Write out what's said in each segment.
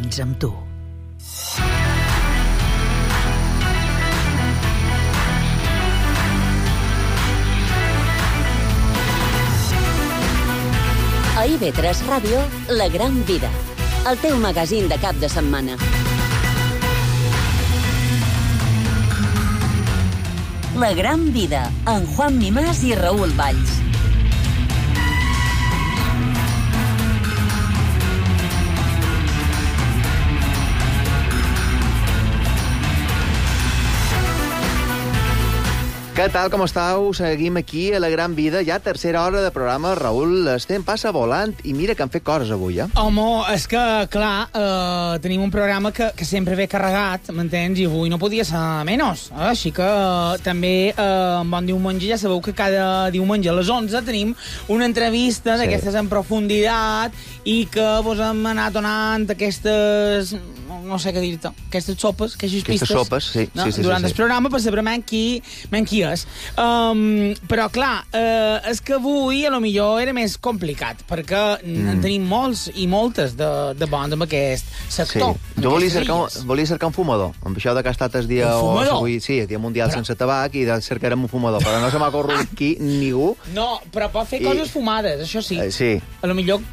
anys amb tu. A IB3 Ràdio, La Gran Vida, el teu magazín de cap de setmana. La Gran Vida, amb Juan Mimàs i Raül Valls. Què tal, com estàu? Seguim aquí a La Gran Vida, ja tercera hora de programa. Raül, estem passa volant i mira que han fet coses avui, eh? Home, és que, clar, tenim un programa que sempre ve carregat, m'entens? I avui no podia ser menys. Així que també, en Bon Diumenge, ja sabeu que cada diumenge a les 11 tenim una entrevista d'aquestes en profunditat i que vos hem anat donant aquestes... no sé què dir-te, aquestes sopes, aquestes pistes. Aquestes sopes, sí. No? Sí. Durant el programa per saber qui és. Però, clar, és que avui a lo millor era més complicat, perquè en tenim molts i moltes de bons en aquest sector. Sí. Jo volia cercar un fumador, amb això que ha estat el dia... Un fumador? Avui, sí, el dia mundial sense tabac, i cercarem un fumador, però no se m'ha corregut aquí ningú. No, però pot fer coses fumades, això sí. Sí. A lo millor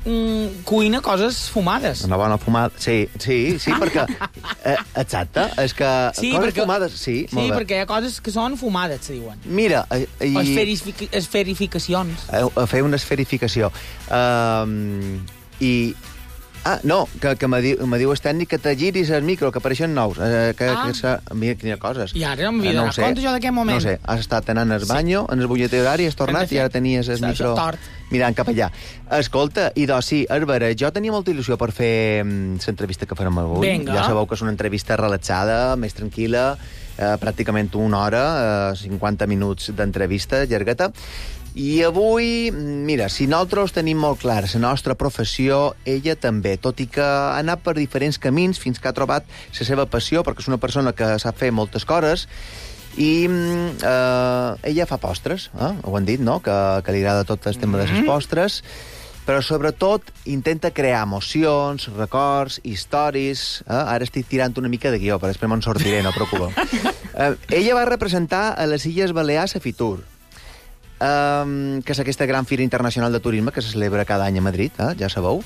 cuina coses fumades. Una bona fumada, sí, perquè... exacte, és que... Sí, coses perquè, fumades, sí, sí, perquè hi ha coses que són fumades, se diuen. Mira... O esferificacions. A fer una esferificació. No, que me diu el tècnic que te giris el micro, que apareixen nous. Mira, quines coses. I ara no m'havia donat compte jo d'aquest moment. No sé, has estat anant al banyo, en el butlletí horari, has tornat i ara tenies el micro mirant cap allà. Escolta, i doncs sí, és vera, jo tenia molta il·lusió per fer l'entrevista que farem avui. Vinga. Ja sabeu que és una entrevista relaxada, més tranquil·la, pràcticament una hora, 50 minuts d'entrevista, llargueta. I avui, mira, si nosaltres tenim molt clar la nostra professió, ella també, tot i que ha anat per diferents camins fins que ha trobat la seva passió, perquè és una persona que sap fer moltes coses, i ella fa postres, ho han dit, no?, que li agrada tot el tema de les postres, però sobretot intenta crear emocions, records, històries. Ara estic tirant una mica de guió, però després me'n sortiré, no preocupeu. Ella va representar a les Illes Balears a Fitur, que és aquesta gran fira internacional de turisme que se celebra cada any a Madrid, ja sabeu.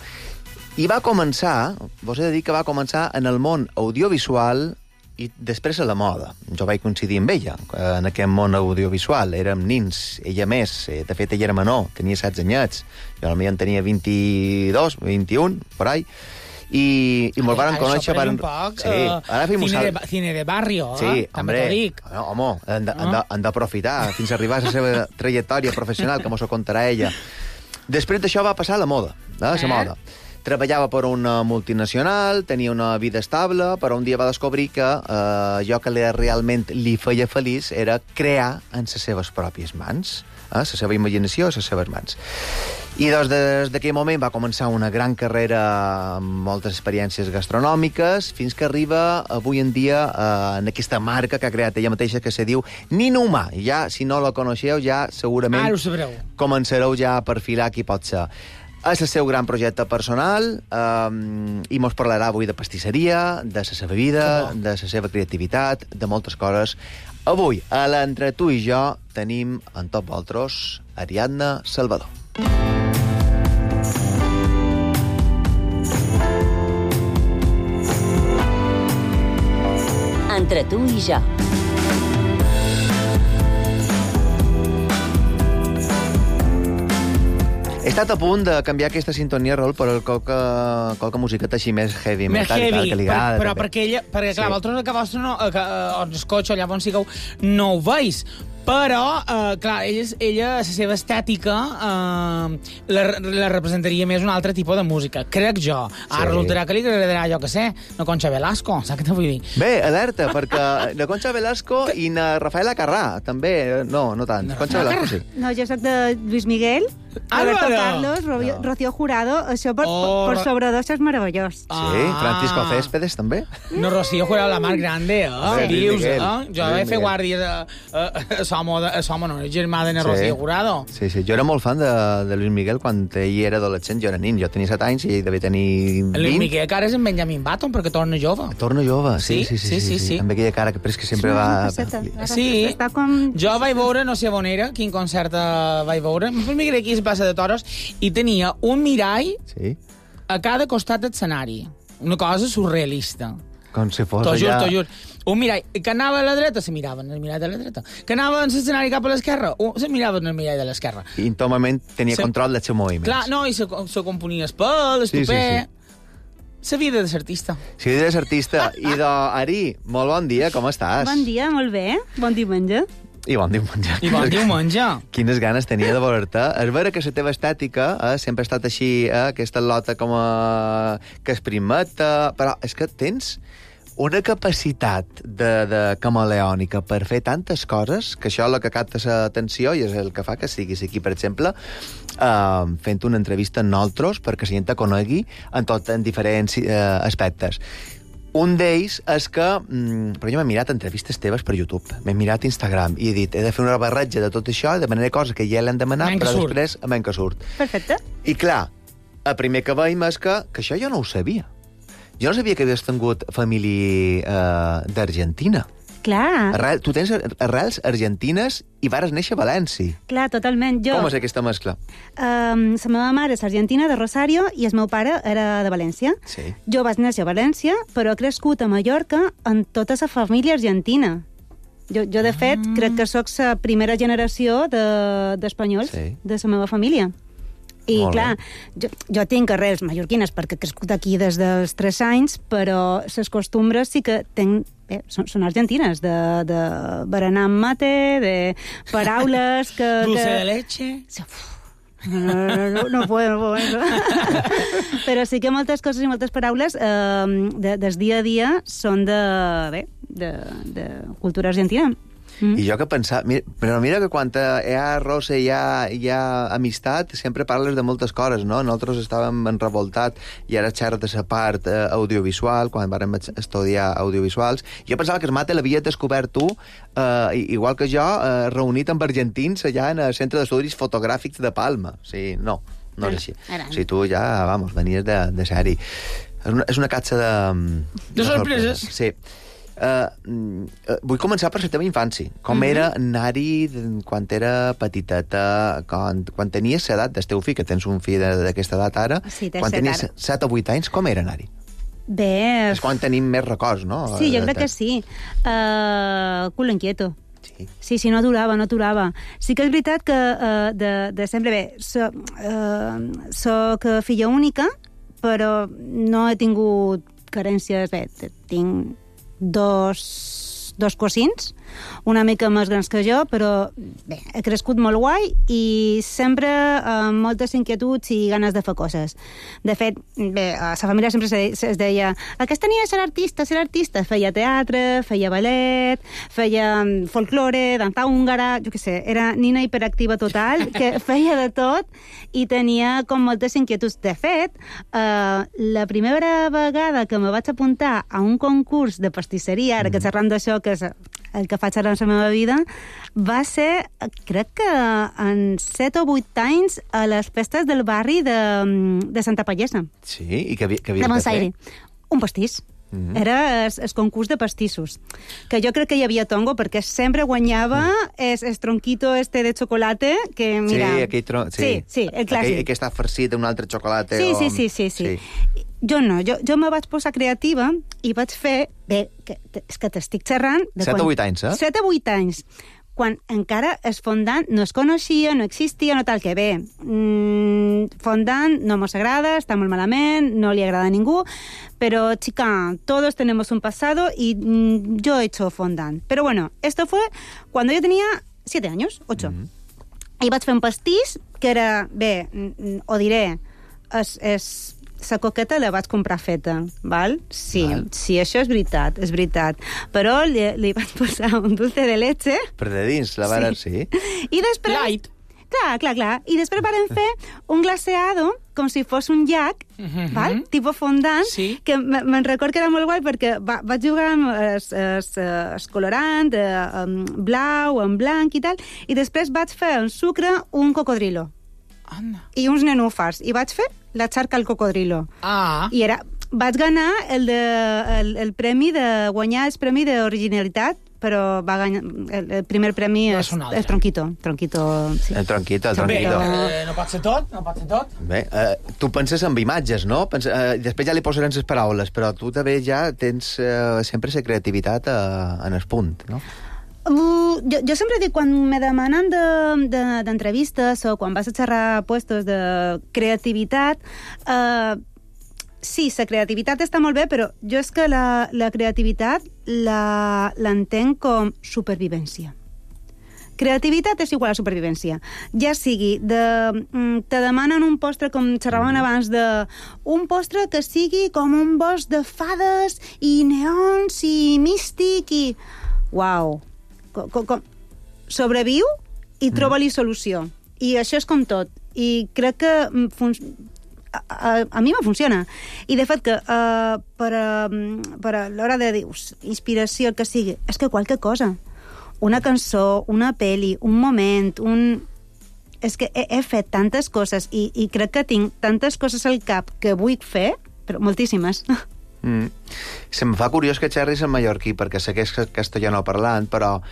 I va començar, vos he de dir que va començar en el món audiovisual i després a la moda. Jo vaig coincidir amb ella en aquest món audiovisual. Érem nins, ella més. De fet, ella era menor, tenia 16 anyets. Jo potser en tenia 22, 21, por ahí. I mos varen conèixer... Això un poc, cine de barrio, sí, també t'ho dic. Home, han d'aprofitar fins a arribar a la seva trajectòria professional, que mos ho contarà ella. Després d'això va passar a la moda, la moda. Treballava per una multinacional, tenia una vida estable, però un dia va descobrir que allò que realment li feia feliç era crear en les seves pròpies mans, la seva imaginació a les seves mans. I doncs des d'aquell moment va començar una gran carrera amb moltes experiències gastronòmiques, fins que arriba avui en dia en aquesta marca que ha creat ella mateixa, que se diu Nino Humà. Ja, si no la coneixeu, ja segurament començareu ja a perfilar qui pot ser. És el seu gran projecte personal i mos parlarà avui de pastisseria, de la seva vida, de la seva creativitat, de moltes coses. Avui, a l'Entre tu i jo, tenim en tot vosaltres Ariadna Salvador. Entre tu i jo. He estat a punt de canviar aquesta sintonia, Raül, per qualque musiqueta així més heavy, més heavy, que li agrada. Però perquè clar, vosaltres que vostre no, on escolxo, allà on sigueu, no ho veus. Però, clar, ella, la seva estètica, la representaria més un altre tipus de música, crec jo. Ara resultarà que li agradarà, jo que sé, la Concha Velasco, saps què te vull dir? Bé, alerta, perquè la Concha Velasco i la Rafaela Carrà, també, no tant. Concha Velasco, sí. No, jo soc de Luis Miguel. Roberto Álvaro. Carlos, Rocío Jurado, això per sobredosis és meravellós. Sí, Francisco Céspedes, també. No, Rocío Jurado, la mar grande, Luis dius, Miguel. Jo vaig fer guàrdies a Somo, no, germà de Rocío Jurado. Sí, jo era molt fan de Luis Miguel quan ell era adolescent, jo era nin, jo tenia 7 anys i ell devia tenir 20. Luis Miguel, que ara és en Benjamin Button, perquè torna jove. Torna jove, sí. Amb aquella cara que sempre va... Sí, Jo vaig veure, no sé on era, quin concert vaig veure, m'imagino aquí es passa de toros, i tenia un mirall a cada costat de l'escenari. Una cosa surrealista. Com si fos T'ho allà... juro. Un mirall que anava a la dreta, se mirava en el mirall de la dreta. Que anava en l'escenari cap a l'esquerra, se mirava en el mirall de l'esquerra. I íntimament tenia control dels seus moviments. Clar, no, i se componia el pèl, el tupè... La vida de l'artista. La vida de l'artista. I Ari, molt bon dia, com estàs? Bon dia, molt bé. Bon diumenge. I bon diumenge. I bon diumenge. Quines ganes tenia de veure-te. És vera que la teva estètica sempre ha estat així, aquesta lota com que es primeta, però és que tens una capacitat de camaleònica per fer tantes coses que això és el que capta l'atenció i és el que fa que siguis aquí, per exemple, fent una entrevista amb nosaltres perquè la gent te conegui en diferents aspectes. Un d'ells és que... Però jo m'he mirat entrevistes teves per YouTube, m'he mirat Instagram i he dit, he de fer una barreja de tot això, de manera cosa que ja l'hem demanat, però després a menys que surt. Perfecte. I clar, el primer que veiem és que això jo no ho sabia. Jo no sabia que havies tingut família d'Argentina. Clar. Tu tens arrels argentines i vares néixer a València. Clar, totalment. Com és aquesta mescla? La meva mare és argentina, de Rosario, i el meu pare era de València. Sí. Jo vaig néixer a València, però he crescut a Mallorca amb tota la família argentina. Jo de fet, crec que sóc la primera generació d'espanyols de la meva família. I, clar, jo tinc arrels mallorquines perquè he crescut aquí des dels 3 anys, però les costumbres sí que són argentines, de berenar amb mate, de paraules que... Dulce de leche... No puedo. Però sí que moltes coses i moltes paraules del dia a dia són de cultura argentina. I jo que pensava... Però mira que quan hi ha roça i hi ha amistat, sempre parles de moltes coses, no? Nosaltres estàvem revoltats i ara xerres de la part audiovisual, quan vàrem estudiar audiovisuals. Jo pensava que el mate l'havia descobert tu, igual que jo, reunit amb argentins allà en el Centre d'Estudis Fotogràfics de Palma. Sí, no és així. Si tu ja, venies de sèrie. És una catxa de sorpreses. Sí. Vull començar per la teva infància. Com era anar-hi quan era petiteta, quan tenies l'edat del teu fill, que tens un fill d'aquesta edat ara, quan tenies 7 o 8 anys, com era anar-hi? Bé... És quan tenim més records, no? Sí, jo crec que sí. Culo inquieto. Sí, no aturava. Sí que és veritat que de sempre soc filla única, però no he tingut carències. Tinc dos cosins, una mica més grans que jo, però bé, he crescut molt guai i sempre amb moltes inquietuds i ganes de fer coses. De fet, bé, a la família sempre es deia aquesta nina serà artista. Feia teatre, feia ballet, feia folklore, dansa húngara, jo què sé, era nina hiperactiva total, que feia de tot i tenia com moltes inquietuds. De fet, la primera vegada que me vaig apuntar a un concurs de pastisseria, ara que xerram d'això, que és el que faig ara en la meva vida, va ser, crec que en 7 o 8 anys a les festes del barri de Santa Pallesa. Sí? I què havies de fer? Un pastís. Era el concurs de pastissos. Que jo crec que hi havia tongo, perquè sempre guanyava el tronquito de xocolate, que mira... Sí, aquell tronc... Sí, el clàssic. Que està farcit d'un altre xocolate. Sí. Jo no, jo me vaig posar creativa i vaig fer... Bé, és que t'estic xerrant... 7 o 8 anys, 7 o 8 anys. Quan encara el fondant no es coneixia, no existia, no tal que bé. Fondant no mos agrada, està molt malament, no li agrada a ningú, pero chica, todos tenemos un pasado y yo he hecho fondant. Pero bueno, esto fue cuando yo tenía 7 años, 8. I vaig fer un pastís que era, bé, ho diré, la coqueta la vaig comprar feta, val? Sí, això és veritat. Però li vaig posar un dulce de leche. Per de dins, la vara, sí. I després... Light. Clar. I després vam fer un glaseado com si fos un llac, val? Tipus fondant, que me'n record que era molt guai perquè vaig jugar amb el colorant, blau, en blanc i tal, i després vaig fer en sucre un cocodrilo. Anda. I uns nenúfars. I vaig fer la xarca al cocodrilo. I vaig ganar el premi de guanyar el premi d'originalitat, però va guanyar el primer premi és Tronquito. Sí. El Tronquito. No pot ser tot. Bé, tu penses en imatges, no? Després ja li posarem les paraules, però tu també ja tens sempre la creativitat en el punt, no? Jo sempre dic, quan me demanen d'entrevistes o quan vas a xerrar puestos de creativitat, sí, la creativitat està molt bé, però jo és que la creativitat l'entenc com supervivència. Creativitat és igual a supervivència. Ja sigui, te demanen un postre, com xerraven abans, un postre que sigui com un bosc de fades i neons i místic i... Uau! Sobreviu i troba-li solució. I això és com tot. I crec que a mi me funciona. I de fet que per a l'hora de dius, inspiració, el que sigui, és que qualque cosa. Una cançó, una pel·li, un moment, és que he fet tantes coses i crec que tinc tantes coses al cap que vull fer, però moltíssimes. Se'm fa curiós que xerris en mallorquí, perquè sé que és castellano parlant, però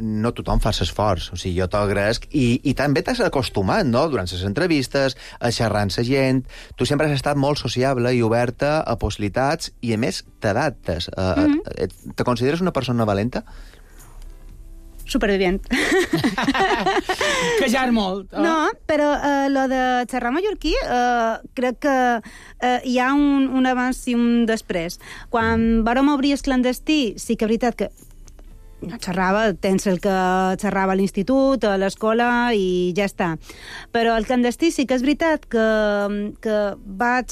no tothom fa l'esforç. O sigui, jo t'agraesc i també t'has acostumat, no?, durant les entrevistes, a xerrar amb la gent. Tu sempre has estat molt sociable i oberta a possibilitats i, a més, t'adaptes. Te consideres una persona valenta? Supervivient. Que ja és molt. No, però lo de xerrar mallorquí crec que hi ha un abans i un després. Quan vàrem obrir el clandestí, sí que és veritat que no xerrava, tens el que xerrava a l'institut, a l'escola i ja està. Però el clandestí sí que és veritat que vaig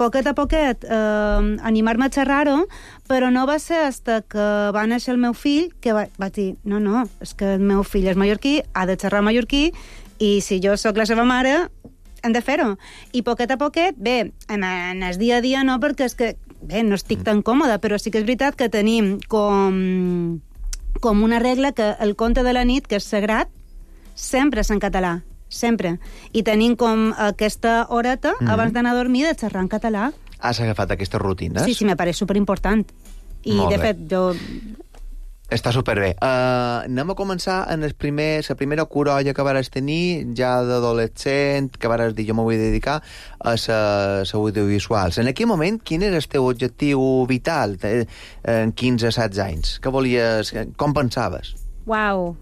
poquet a poquet animar-me a xerrar-ho, però no va ser hasta que va néixer el meu fill que vaig dir, no, és que el meu fill és mallorquí, ha de xerrar mallorquí, i si jo sóc la seva mare, hem de fer-ho. I poquet a poquet, bé, en el dia a dia no, perquè és que, bé, no estic tan còmoda, però sí que és veritat que tenim com una regla que el conte de la nit, que és sagrat, sempre és en català. Sempre. I tenim com aquesta horeta abans d'anar a dormir de xerrar en català. Has agafat aquestes rutines? Sí, me pareix superimportant. I, de fet, jo... Està superbé. Anem a començar en la primera corolla que vares tenir, ja d'adolescent, que vares dir, jo m'ho vull dedicar a les audiovisuals. En aquell moment, quin era el teu objectiu vital en 15-16 anys? Què volies... Com pensaves? Uau!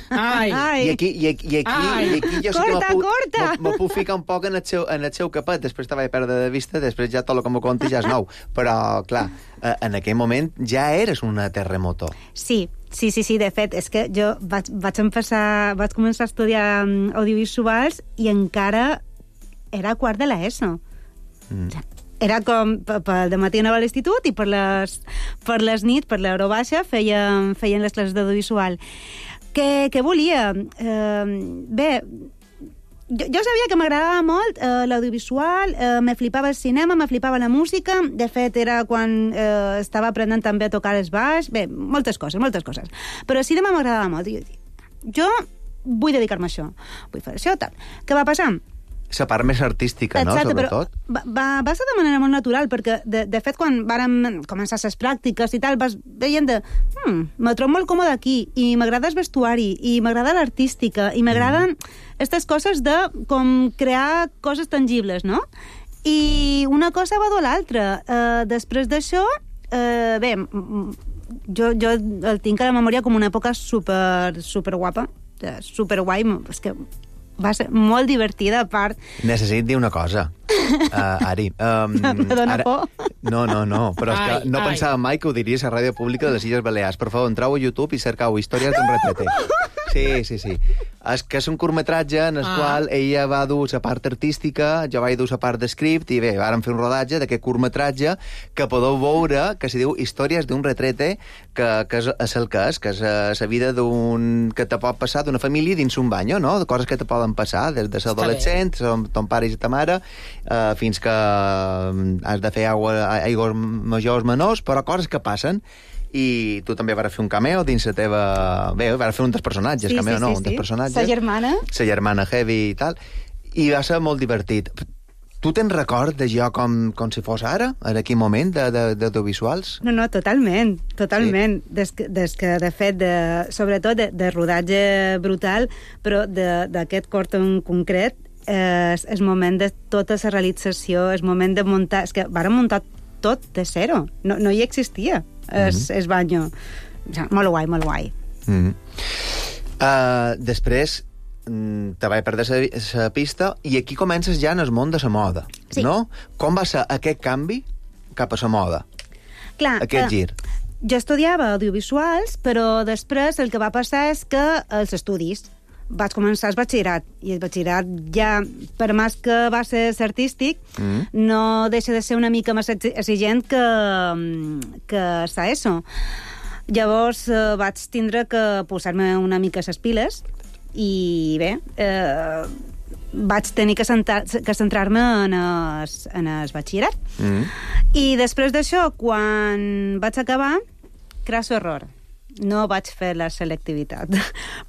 Ai. I aquí jo corta. Me puc ficar un poc en el seu capet, després te vaig perdre de vista, després ja tot el que me conti ja és nou, però clar, en aquell moment ja eres una terremoto. Sí, de fet, és que jo vaig començar a estudiar audiovisuals i encara era quart de l'ESO. Era com, de matí anava a l'institut i per les nits, per l'hora baixa, feien les classes d'audiovisual. Què volia? Bé, jo sabia que m'agradava molt l'audiovisual, me flipava el cinema, me flipava la música, de fet era quan estava aprenent també a tocar el baix, bé, moltes coses. Però el cinema m'agradava molt. Jo vull dedicar-me a això, vull fer això, tal. Què va passar? La part més artística, no? Exacte, sobretot. Però va ser de manera molt natural, perquè, de fet, quan vàrem començar les pràctiques i tal, vas veient me trobo molt còmode aquí, i m'agrada el vestuari, i m'agrada l'artística, i m'agraden aquestes coses de com crear coses tangibles, no? I una cosa va dur l'altra. Després d'això, bé, jo el tinc a la memòria com una època super guapa, super guai, és que va ser molt divertida, a part... Necessito dir una cosa, Ari. Me dóna por. No, però és que no pensava mai que ho diries a Ràdio Pública de les Illes Balears. Per favor, entrau a YouTube i cercau històries d'un retrete. Sí. És un curtmetratge en el qual ella va dur la part artística, jo vaig dur la part de script, i bé, vàrem fer un rodatge d'aquest curtmetratge que podeu veure, que se diu Històries d'un retrete, que és el que és la vida que te pot passar d'una família dins un bany, no? De coses que te poden passar, des de ser adolescent, ton pare i ta mare, fins que has de fer aigües majors menors, però coses que passen. I tu també vas fer un cameo dins la teva... Bé, vas fer un dels personatges, un dels personatges. Sa germana. Sa germana heavy i tal. I va ser molt divertit. Tu tens record de jo com si fos ara, en aquell moment, d'audiovisuals? No, totalment. Sí. Des que, de fet, sobretot de rodatge brutal, però d'aquest cort en concret, el moment de tota la realització, el moment de muntar... És que vàrem muntar tot de zero. No hi existia. És banyo. Molt guai. Després te vaig perdre la pista i aquí comences ja en el món de la moda, no? Com va ser aquest canvi cap a la moda? Clar, aquest gir. Jo estudiava audiovisuals, però després el que va passar és que els estudis vaig començar el batxillerat, i el batxillerat ja, per més que va ser artístic, no deixa de ser una mica més exigent que l'ESO. Llavors vaig tindre que posar-me una mica les piles i bé, vaig tenir que centrar-me en el batxillerat. I després d'això, quan vaig acabar, crasso error, no vaig fer la selectivitat.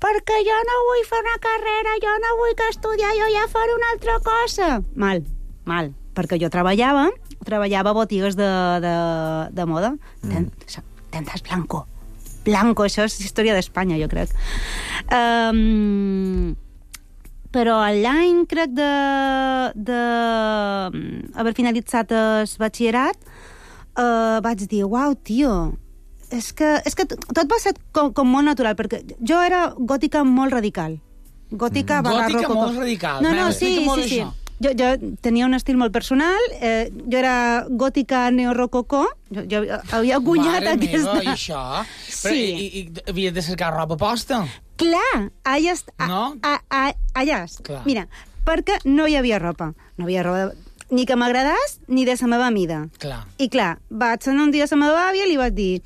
Perquè jo no vull fer una carrera, jo no vull que estudiar, jo ja faré una altra cosa. Mal. Perquè jo treballava a botigues de moda. Tendas blanco, això és història d'Espanya, jo crec. Però l'any, crec, d'haver finalitzat el batxillerat, vaig dir, uau, tio, és que tot va ser com molt natural, perquè jo era gòtica molt radical. Gòtica molt radical. No, sí. Jo tenia un estil molt personal, jo era gòtica neorrococó, jo havia guanyat aquesta... Mare meva, i això? Sí. I havies de cercar roba posta? Clar, allà... Mira, perquè no hi havia roba. No havia roba ni que m'agradàs, ni de la meva mida. Clar. I clar, vaig anar un dia a la meva àvia i li vaig dir,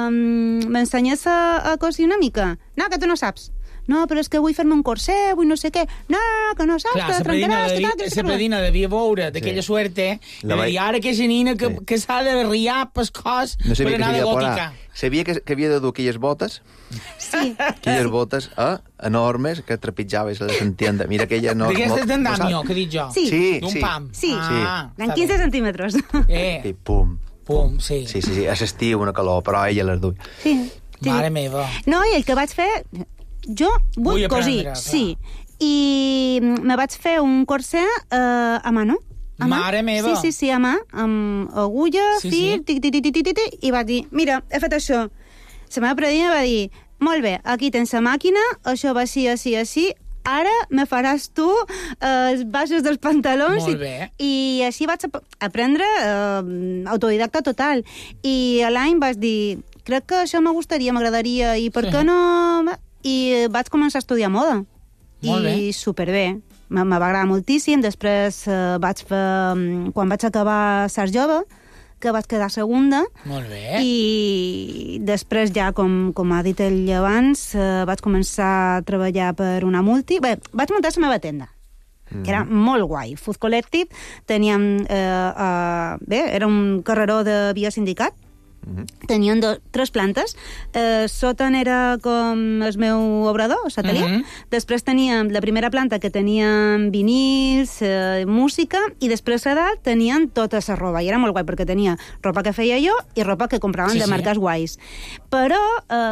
m'ensenyes a cosir una mica? No, que tu no saps. No, però és que vull fer-me un corset, vull no sé què. No, que no saps, que trencaràs, que tal... La predina devia veure d'aquella suerte, i ara que és nina que s'ha de riar pel cos per anar de gòtica. Sabia que havia de dur aquelles botes? Sí. Aquelles botes enormes que trepitjaves, les entienda. Mira aquella enorme... D'aquestes d'andamio, que dic jo. Sí. D'un pam. Sí. En 15 centímetres. I pum. Sí. Sí. A l'estiu una calor, però ella les duia. Sí. Mare meva. No, i el que vaig fer... Jo vull cosir, sí. I me vaig fer un corset a mano. Mare meva. Sí, a mà, amb agulla, fil, i va dir, mira, he fet això. La meva predina va dir, molt bé, aquí tens la màquina, això va així, ara me faràs tu els baixos dels pantalons. Molt bé. I així vaig aprendre autodidacta total. I a l'any vaig dir, crec que això m'agradaria, i per què no... I vaig començar a estudiar moda. Molt bé. I superbé. Me va agradar moltíssim. Després vaig fer... Quan vaig acabar Sars Jove, que vaig quedar segunda. Molt bé. I després ja, com ha dit ell abans, vaig començar a treballar per una multi. Bé, vaig muntar la meva tenda, que era molt guai. Food Collective. Teníem... era un carreró de via sindicat. Tenien 3 plantes. Sota era com el meu obrador, l'atelier. Després teníem la primera planta, que teníem vinils, música, i després a dalt tenien tota la roba. I era molt guai, perquè tenia roba que feia jo i roba que compraven de marques guais. Però,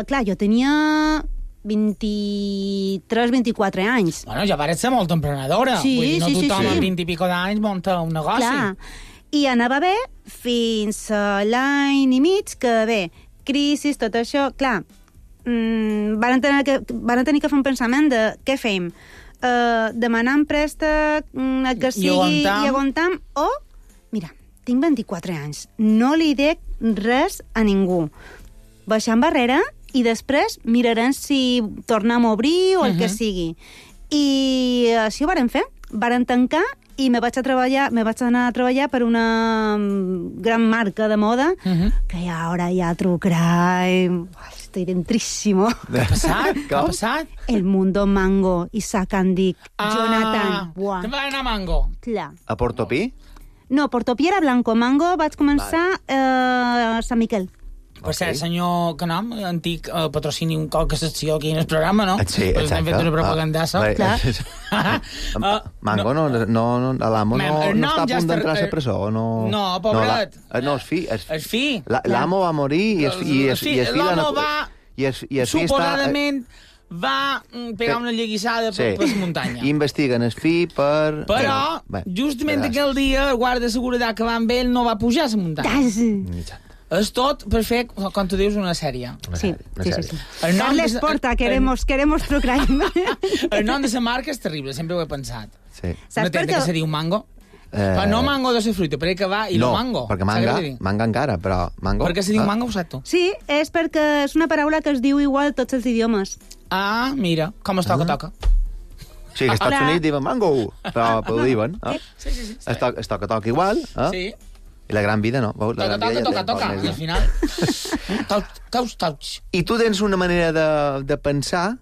clar, jo tenia 23-24 anys. Bueno, ja parets ser molt emprenedora. Sí, vull dir, no tothom amb 20 i pico d'anys munta un negoci. Clar. I anava bé fins a l'any i mig, que bé, crisi, tot això, clar, van tenir que fer un pensament de què fem? Demanar en préstec el que sigui i aguantam, o, mira, tinc 24 anys, no li dec res a ningú. Baixar enrere i després mirarem si tornem a obrir o el que sigui. I així ho vàrem fer. Vàrem tancar i me vaig anar a treballar per una gran marca de moda que ahora ya True Crime... Estoy dentrísimo. Què ha passat? El Mundo Mango, Isaac Andic, Jonathan. Buah. Te'n va anar a Mango? Clar. A Portopí? No, Portopí era Blanco. Mango vaig començar a Sant Miquel. Per cert, senyor Canam, antic patrocini un cop que secció aquí en el programa, no? Sí, exacte. Hem fet una propagandassa. Mango, l'amo no està a punt d'entrar a la presó? No, pobret. No, el fi. L'amo va morir i el fi... L'amo va... Suposadament va pegar una lleguissada per la muntanya. Investiguen el fi per... Però, justament aquell dia, el guarda de seguretat que va amb ell no va pujar a la muntanya. És tot per fer, com tu dius, una sèrie. Sí. Carles Porta, queremos True Crime. El nom de la marca és terrible, sempre ho he pensat. Sí. No té que se diu Mango? Però no Mango de la fruita, perquè va i no Mango. No, perquè manga encara, però Mango... Per què se diu Mango, ho saps tu? Sí, és perquè és una paraula que es diu igual tots els idiomes. Ah, mira, com es toca. Sí, que als Estats Units diuen Mango, però ho diuen. Sí. Es toca igual. Sí. I la gran vida no. Toca. I al final... Touch. I tu tens una manera de pensar,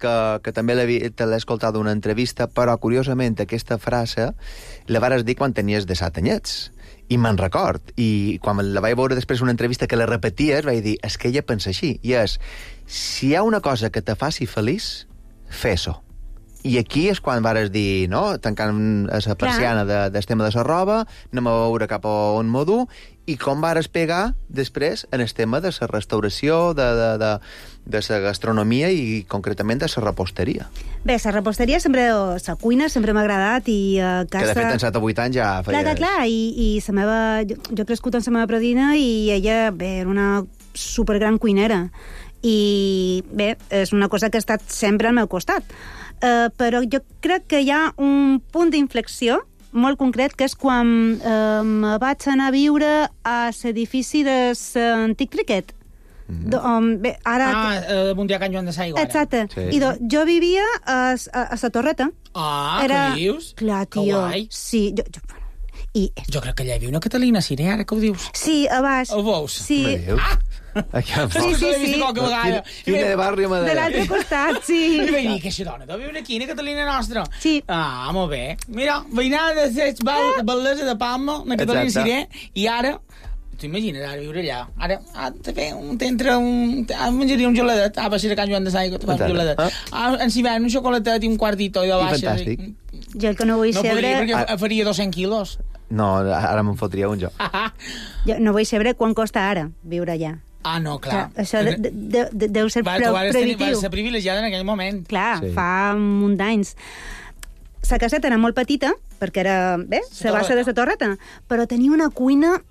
que també te l'he escoltat d'una entrevista, però curiosament aquesta frase la vares dir quan tenies 17 anyets. I me'n record. I quan la vaig veure després una entrevista que la repeties, vaig dir, és que ella pensa així. I és, si hi ha una cosa que te faci feliç, fes-ho. I aquí és quan vares dir, no?, tancant la persiana del tema de la roba, anem a veure cap a on m'ho du, i com vares pegar després en el tema de la restauració, de la gastronomia i concretament de la reposteria. Bé, la reposteria sempre, la cuina sempre m'ha agradat i a casa... Que de fet en 7 o 8 anys ja feia... Clar, i la meva... Jo he crescut amb la meva predina i ella, bé, era una supergran cuinera. I, bé, és una cosa que ha estat sempre al meu costat. Però jo crec que hi ha un punt d'inflexió molt concret, que és quan me vaig anar a viure a l'edifici de l'antic Criquet. Bé, ara... Mundial Can Joan de Saigo. Exacte. Sí. I jo vivia a la Torreta. Què dius? Clar, tio. Sí, jo crec que allà hi havia una Catalina Siré, ara que ho dius. Sí, a baix. Ho veus? Sí. Sí. Quina de barri de l'altre costat, sí. I vaig dir que aquesta dona deu viure aquí, una Catalina nostra. Sí. Ah, molt bé. Mira, veïnada de Sets, Baldesa de Palma, una Catalina Siré, i ara... T'imagines ara viure allà? Ara menjaria un geladet. Va ser a Can Joan de Saigo, te fas un geladet. En hivern un xocolatet i un quartito i de baixa. Fantàstic. Jo el que no vull saber... No podria, perquè faria 200 quilos. No, ara me'n fotria un jo. Jo no vull saber quan costa ara viure allà. Ah, no, clar. Això deu ser prohibitiu. Vas ser privilegiada en aquell moment. Clar, fa un munt d'anys. La caseta era molt petita, perquè era, bé, la base de la Torreta, però tenia una cuina...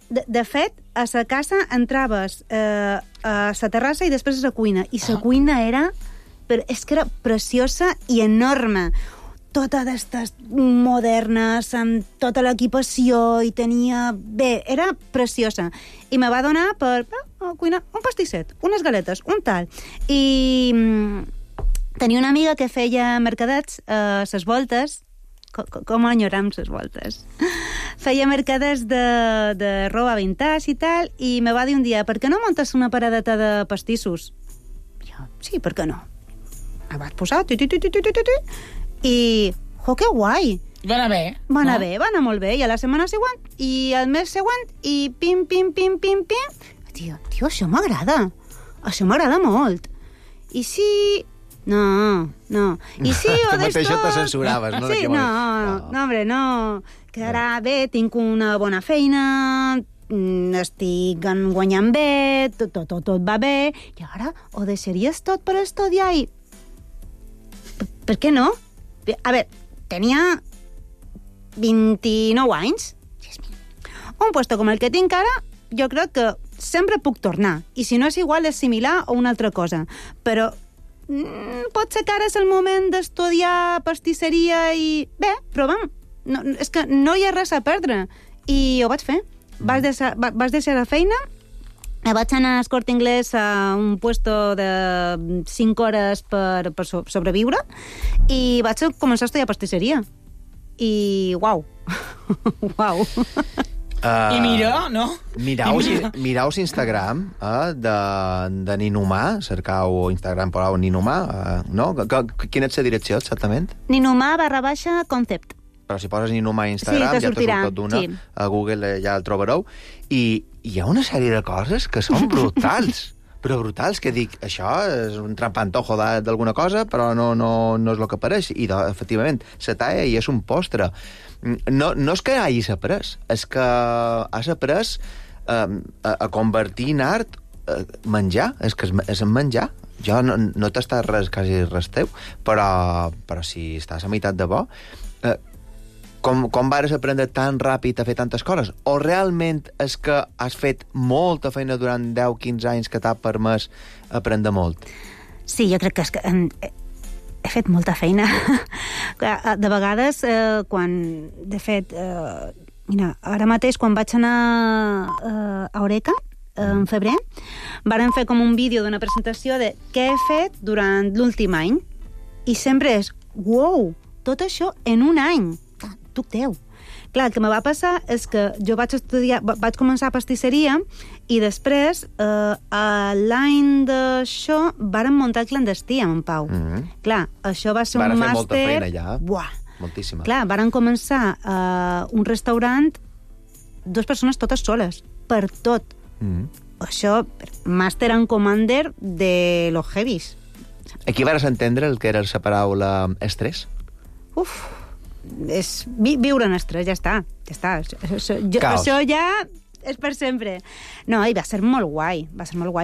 De fet, a la casa entraves a la terrassa i després a la cuina. I la cuina era... És que era preciosa i enorme. Tota d'estes modernes, amb tota l'equipació, i tenia... Bé, era preciosa. I me va donar per cuinar un pastisset, unes galetes, un tal. I tenia una amiga que feia mercadets a les voltes. Com enyoram les voltes. Feia mercades de roba vintage i tal, i me va dir un dia, per què no montes una paradeta de pastissos? Jo, sí, per què no? Me vaig posar, i... que guai! Va anar bé. Va anar molt bé. I a la setmana següent, i al mes següent, i pim. Tio, això m'agrada. Això m'agrada molt. I si... No. I sí, o tu mateixa te censuraves, no? Sí, no, hombre, no. Que ara bé, tinc una bona feina, estic guanyant bé, tot va bé, i ara ho deixaries tot per estudiar i... Per què no? A veure, tenia 29 anys. Un puesto com el que tinc ara, jo crec que sempre puc tornar. I si no és igual, és similar o una altra cosa. Però pot ser que ara és el moment d'estudiar pastisseria i... Bé, provem. No, és que no hi ha res a perdre. I ho vaig fer. Vas deixar la feina Vaig anar al Corte Inglés a un puesto de 5 hores per sobreviure i vaig començar a estudiar pastisseria. I uau. Uau. I mira, no? Mirau Instagram de Ninumà, cercau Instagram per Ninumà, no? Quina és la direcció, exactament? Ninumà_concept. Però si poses Ninumà a Instagram, ja te surt tot d'una. Sí. A Google ja el trobareu. I hi ha una sèrie de coses que són brutals. Però brutals, que dic, això és un trampantojo d'alguna cosa, però no és el que pareix. I, efectivament, la talla i és un postre. No és que hagis après, és que has après a convertir en art menjar, és que és en menjar. Jo no t'està quasi res teu, però si estàs a meitat de bo, com vares aprendre tan ràpid a fer tantes coses? O realment és que has fet molta feina durant 10-15 anys que t'ha permès aprendre molt? Sí, jo crec que és que he fet molta feina. De vegades, quan... De fet, mira, ara mateix, quan vaig anar a Eureka, en febrer, varen fer com un vídeo d'una presentació de què he fet durant l'últim any. I sempre és, uau, tot això en un any. Tuc teu. Clar, el que me va passar és que jo vaig començar pastisseria i després, l'any d'això, vàrem muntar el clandestí amb en Pau. Clar, això va ser un màster... Varen fer molta feina ja. Buah. Moltíssima. Clar, varen començar un restaurant, 2 persones totes soles, per tot. Això, màster and commander de los heavies. Aquí vares entendre el que era la paraula estrès? Uf, és viure en estrès, ja està. Això ja és per sempre. No, i va ser molt guai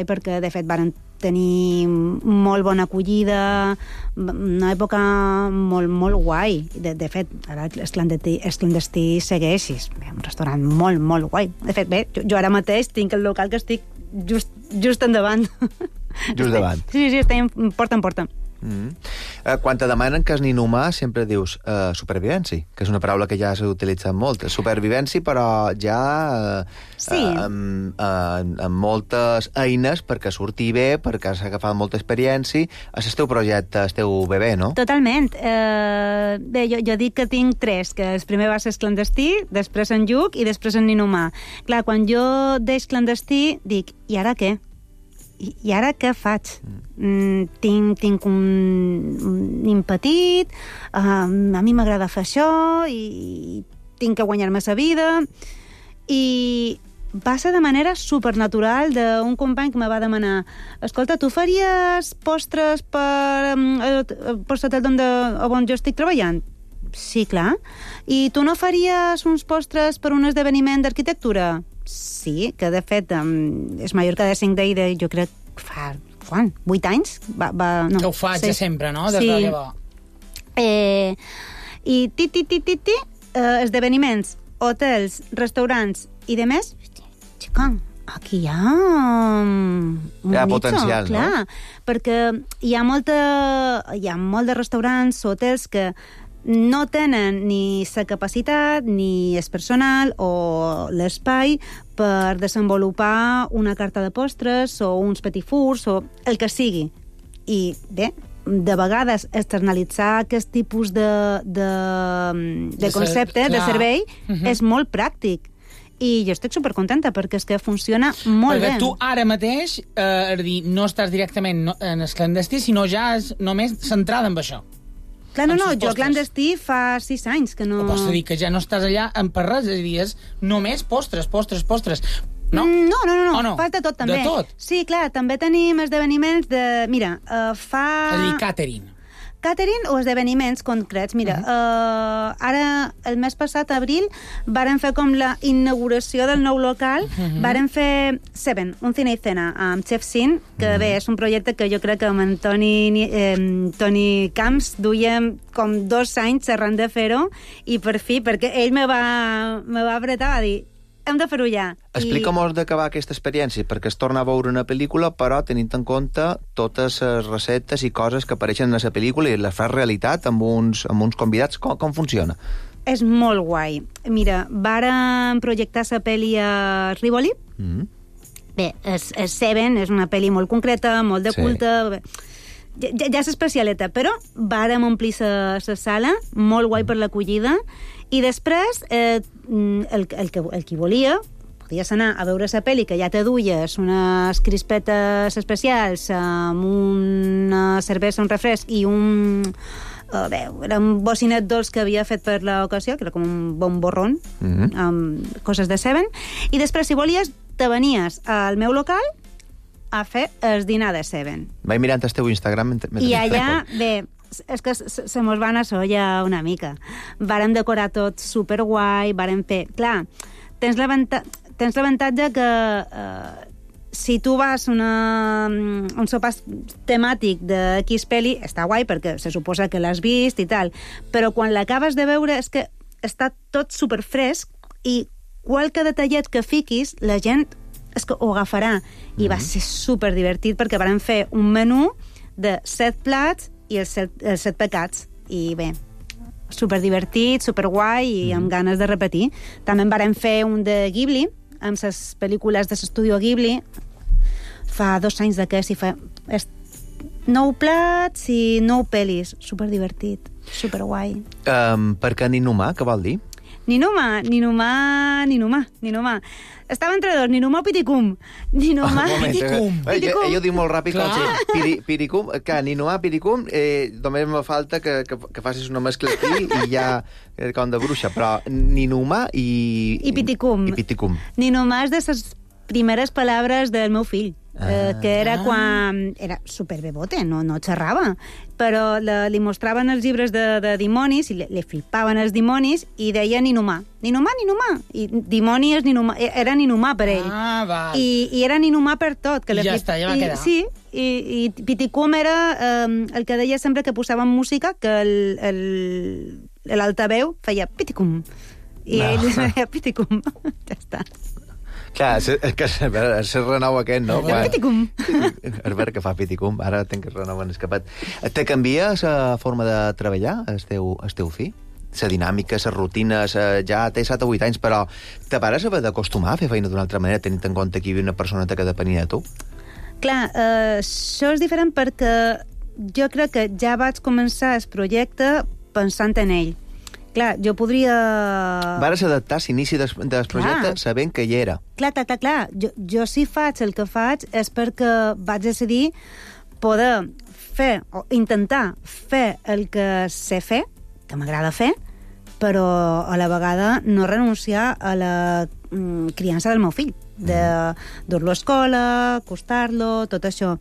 perquè, de fet, varen tenir molt bona acollida, una època molt, molt guai. De fet, ara el clandestí segueix, és un restaurant molt, molt guai. De fet, bé, jo ara mateix tinc el local que estic just endavant. Just davant. Sí, estem porta en porta. Quan te demanen que és ninhumà sempre dius supervivència, que és una paraula que ja s'ha utilitzat molt. Supervivència, però ja amb moltes eines perquè surti bé, perquè s'ha agafat molta experiència. És el teu projecte, el teu bebè, no? Totalment. Bé, jo dic que tinc 3, que el primer va ser clandestí, després en Lluc i després en ninhumà. Clar, quan jo deix clandestí, dic, i ara què? I ara què faig? Tinc un nin petit, a mi m'agrada fer això, i tinc que guanyar-me la vida, i va ser de manera supernatural d'un company que me va demanar, escolta, tu faries postres per post-hotel on jo estic treballant? Sí, clar. I tu no faries uns postres per un esdeveniment d'arquitectura? Sí, que de fet és Mallorca de 5 Day, jo crec fa, 8 anys? No, que ho faig ja sempre, no? Des de llavors. I esdeveniments, hotels, restaurants i de més, xica, aquí hi ha hi ha potencial, clar, no? Perquè hi ha molt de restaurants o hotels que no tenen ni la capacitat, ni el personal o l'espai per desenvolupar una carta de postres o uns petit fours o el que sigui. I bé, de vegades externalitzar aquest tipus de concepte, de servei, és molt pràctic. I jo estic supercontenta perquè és que funciona molt bé. Perquè tu ara mateix, no estàs directament en el clandestí, sinó ja és només centrada en això. Clar, no, jo clandestí fa 6 anys que no... Pots dir que ja no estàs allà per res, és a dir, és només postres. No? No, falta tot també. De tot? Sí, clar, també tenim esdeveniments de... Mira, És a dir, catering o esdeveniments concrets. Mira, ara, el mes passat, abril, varen fer com la inauguració del nou local, varen fer Seven, un cine i cena, amb Chef Sin, que bé, és un projecte que jo crec que amb en Toni Camps duíem com 2 anys xerrant de fer-ho, i per fi, perquè ell me va apretar a dir, hem de fer-ho ja. Explica-mos de què va aquesta experiència, perquè es torna a veure una pel·lícula, però tenint en compte totes les receptes i coses que apareixen en la pel·lícula i les fas realitat amb uns convidats. Com funciona? És molt guai. Mira, vàrem projectar la pel·li a Rivoli, Bé, Seven és una pel·li molt concreta, molt de culte... Ja és especialeta, però vàrem omplir la sala, molt guai per l'acollida, i després el qui volia podies anar a veure la pel·li, que ja te duies unes crispetes especials amb una cervesa, un refresc i era un bocinet dolç que havia fet per l'ocasió, que era com un bon borrón, amb coses de Seven, i després, si volies, te venies al meu local a fer el dinar de Seven. Vaig mirant el teu Instagram. I allà, bé, és que se mos va anar solla una mica. Vàrem decorar tot superguai, vàrem fer... Clar, tens l'avantatge que si tu vas a un sopar temàtic de X pel·li, està guai perquè se suposa que l'has vist i tal, però quan l'acabes de veure és que està tot superfresc i qualque detallet que fiquis, la gent és que ho agafarà. I va ser superdivertit perquè vàrem fer un menú de 7 plats i els 7 pecats. I bé, superdivertit, superguai i amb ganes de repetir. També en vàrem fer un de Ghibli, amb les pel·lícules de l'estudio Ghibli. Fa 2 anys d'aquest i fa 9 plats i 9 pel·lis. Superdivertit, superguai. Per què Ninumà, què vol dir? Ninumà. Estava entre dos, Ninumà o Piticum. Ninumà, Piticum. Ell ho diu molt ràpid, Piricum, que Ninumà, Piricum, només me falta que facis una mescla aquí i ja com de bruixa, però Ninumà i Piticum. Ninumà és de les primeres paraules del meu fill. Que era quan... Era superbebote, no xerrava, però li mostraven els llibres de dimonis i li flipaven els dimonis i deia Ninumà. Ninumà. I dimoni és Ninumà, era Ninumà per ell. Val. I era Ninumà per tot. Que ja està, ja va quedar. Sí, i Piticum era el que deia sempre que posàvem música, que l'altaveu feia Piticum. I ell deia Piticum. Ja està. Clar, és que és el renou aquest, no? Piticum. És vera que fa Piticum, ara tenc el renou en escapat. Te canvia la forma de treballar, el teu fill? La dinàmica, les rutines, ja té 7 o 8 anys, però te pares haver d'acostumar a fer feina d'una altra manera, tenint en compte que hi havia una persona que depenia de tu? Clar, això és diferent perquè jo crec que ja vaig començar el projecte pensant en ell. Clar, jo podria... Vares adaptar l'inici del projecte sabent que hi era. Clar. Jo si faig el que faig és perquè vaig decidir poder fer, o intentar fer el que sé fer, que m'agrada fer, però a la vegada no renunciar a la criança del meu fill, de dur-lo a escola, acostar-lo, tot això.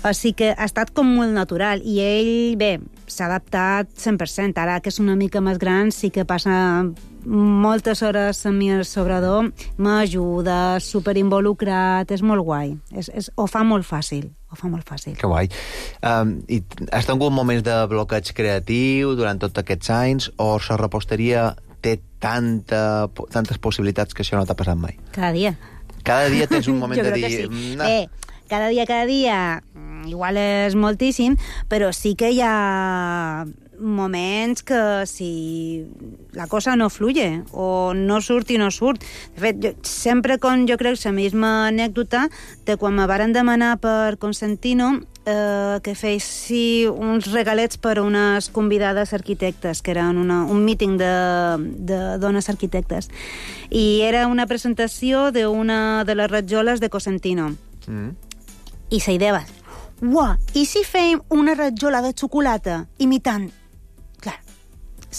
Així que ha estat com molt natural i ell, bé, s'ha adaptat 100%. Ara que és una mica més gran sí que passa moltes hores amb mi al sobrador, m'ajuda, superinvolucrat, és molt guai. Ho fa molt fàcil. Que guai. I has tingut moments de bloqueig creatiu durant tots aquests anys o la reposteria té tantes possibilitats que això no t'ha passat mai? Cada dia. Cada dia tens un moment de dir... Sí. Cada dia, igual és moltíssim, però sí que hi ha moments que si la cosa no fluye o no surt i no surt. De fet, sempre jo crec la misma anècdota de quan me varen demanar per Consentino que fessi uns regalets per a unes convidades arquitectes, que eren un míting de dones arquitectes. I era una presentació d'una de les ratjoles de Cosentino. I la idea va, uah, i si fèiem una ratjola de xocolata imitant? Clar,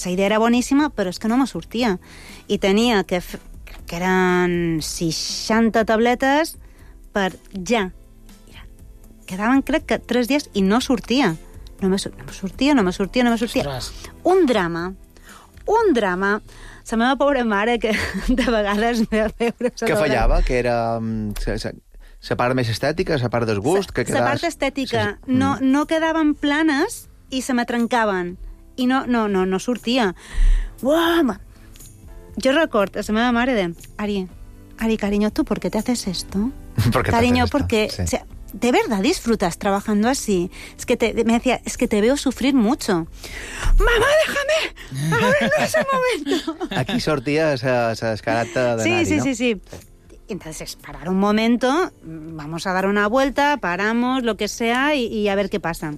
la idea era boníssima, però és que no me sortia. I tenia que eren 60 tabletes per ja. Quedaven, crec que 3 dies i no sortia. No me sortia. Ostres. Un drama. La meva pobra mare, que de vegades m'ha de veure... Que fallava, que era... la part més estètica, la part del gust... La part estètica. No quedaven planes i se me trencaven. I no sortia. Uau! Jo recordo a la meva mare de... Ari, cariño, ¿tú por qué te haces esto? Cariño, porque... Sí. O sea, ¿de verdad disfrutas trabajando así? Me decía, es que te veo sufrir mucho. ¡Mamá, déjame! ¡A ver ese momento! Aquí sortia la descarata de Nari, no? Sí. entonces parar un momento, vamos a dar una vuelta, paramos, lo que sea, y a ver qué pasa.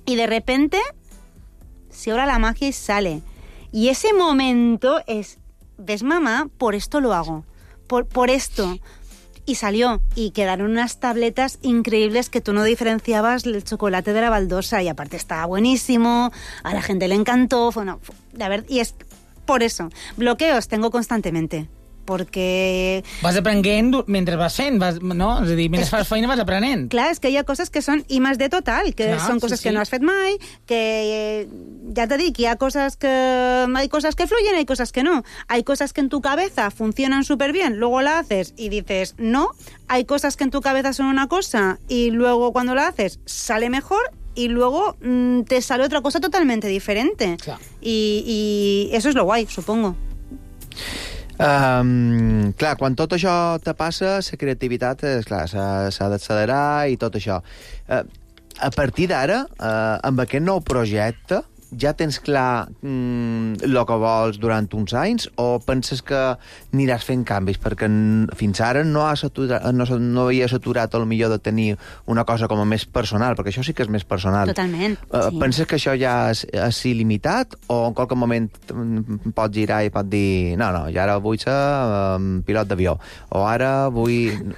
Y de repente se obra la magia y sale. Y ese momento es, ¿ves, mamá? Por esto lo hago. Por esto. Y salió. Y quedaron unas tabletas increíbles que tú no diferenciabas el chocolate de la baldosa. Y aparte estaba buenísimo, a la gente le encantó. La verdad, y es por eso. Bloqueos tengo constantemente. Perquè... Vas aprenent mentre vas fent, no? És a dir, mentre fas feina vas aprenent. Clar, és que hi ha coses que són I más D total, que són coses que no has fet mai, que ya te dic, hay cosas que fluyen, hay cosas que no. Hay cosas que en tu cabeza funcionan súper bien, luego la haces y dices no. Hay cosas que en tu cabeza son una cosa y luego cuando la haces sale mejor y luego te sale otra cosa totalmente diferente. Clar. Y eso es lo guay, supongo. Clar, quan tot això te passa, la creativitat, clar, s'ha d'accelerar i tot això. A partir d'ara, amb aquest nou projecte, ja tens clar el que vols durant uns anys o penses que aniràs fent canvis? Perquè fins ara no havies aturat el millor de tenir una cosa com a més personal, perquè això sí que és més personal. Totalment, sí. Penses que això ja és il·limitat o en qualque moment pots girar i pots dir no, ja ara vull ser pilot d'avió o ara vull...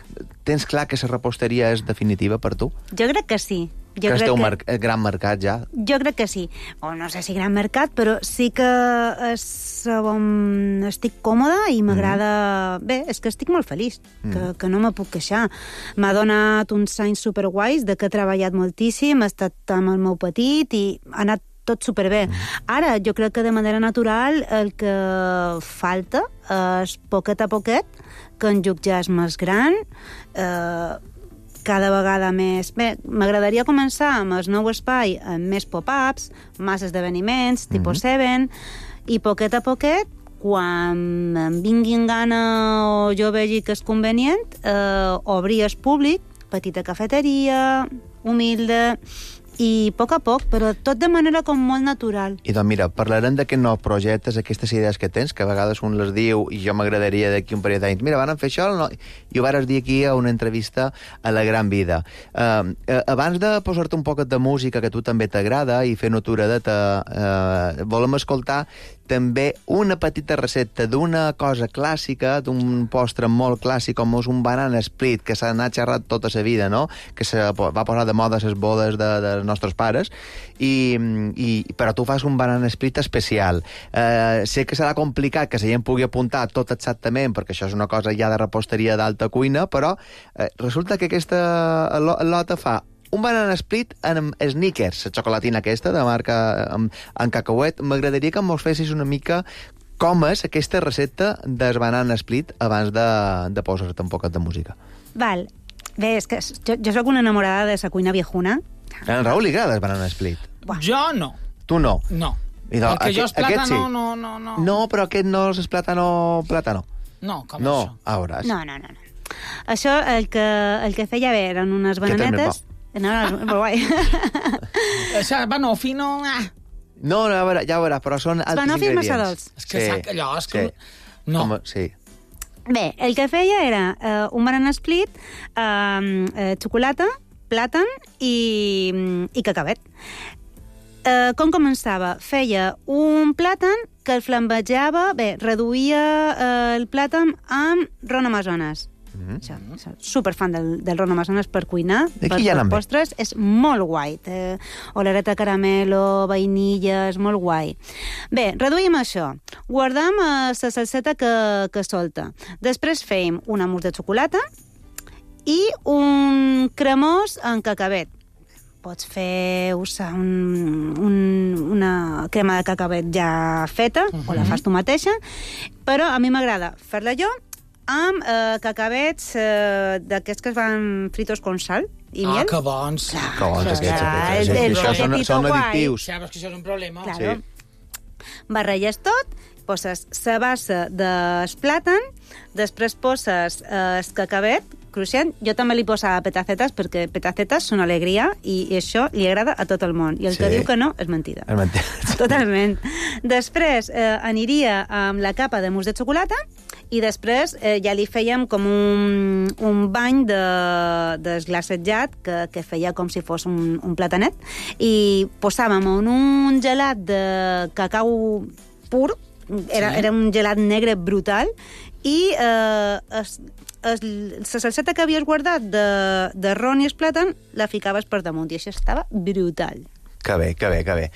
Tens clar que la reposteria és definitiva per tu? Jo crec que sí. Que és teu gran mercat, ja? Jo crec que sí. O no sé si gran mercat, però sí que estic còmoda i m'agrada... Bé, és que estic molt feliç, que no me puc queixar. M'ha donat uns anys superguais, de que he treballat moltíssim, he estat amb el meu petit i ha anat tot superbé. Ara, jo crec que de manera natural el que falta és poquet a poquet que en Lluc ja és més gran, cada vegada més... Bé, m'agradaria començar amb el nou espai, amb més pop-ups, més esdeveniments, tipus 7, i poquet a poquet, quan em vinguin gana o jo vegi que és convenient, obrir el públic, petita cafeteria, humilde, i a poc, però tot de manera com molt natural. I doncs mira, parlarem d'aquests nous projectes, aquestes idees que tens, que a vegades un les diu i jo m'agradaria d'aquí un parell d'anys, mira, van fer això, no? I ho vares dir aquí a una entrevista a La Gran Vida. Abans de posar-te un poc de música que a tu també t'agrada i fer noturadeta, volem escoltar també una petita recepta d'una cosa clàssica, d'un postre molt clàssic com és un banana split, que s'ha anat xerrat tota la vida, no? Que se va posar de moda a les bodes dels nostres pares, però tu fas un banana split especial. Sé que serà complicat que la gent pugui apuntar tot exactament, perquè això és una cosa ja de reposteria d'alta cuina, però resulta que aquesta lota fa un banana split amb Snickers, la xocolatina aquesta de marca en cacauet. M'agradaria que mos fessis una mica com és aquesta recepta del banana split abans de posar-te un poquet de música. Val. Bé, és que jo soc una enamorada de la cuina viejuna. A en Raül li agrada el banana split? Jo no. Tu no? No. El que jo és plàtano, sí. no. No, però aquest no és plàtano. No, com no, això? A veuràs. No. Això, el que feia bé eren unes bananetes... No, és molt guai. Banoffee, no... No, ja veuràs, però són altres Banoffee ingredients. massa dolç. És que sac allò, és que... No. Sí. Bé, el que feia era un banana split, xocolata, plàtan i cacauet. Com començava? Feia un plàtan que el flambejava, reduïa el plàtan amb ron amazones. Superfan del ron amazones per cuinar, per postres, és molt guai. Olereta caramelo, vainilla, és molt guai. Bé, reduïm això. Guardam la salseta que solta. Després fèiem un mousse de xocolata i un cremós en cacauet. Pots fer una crema de cacauet ja feta, o la fas tu mateixa, però a mi m'agrada fer-la jo amb cacauets d'aquests que es van fritos con sal i miel. Que bons. Que bons aquests. Són addictius. Ja, però és que això és un problema. Claro. Barrelles tot, poses la base del plàtan, després poses el cacauet cruixent. Jo també li posava petacetes, perquè petacetes són alegria i això li agrada a tot el món. I el que diu que no és mentida. És mentida. Totalment. Després aniria amb la capa de mousse de xocolata I després ja li fèiem com un bany d'esglacetjat que feia com si fos un platanet, i posàvem en un gelat de cacau pur, era un gelat negre brutal, i la salseta que havies guardat de ron i el plàtan la ficaves per damunt, i això estava brutal. Que bé.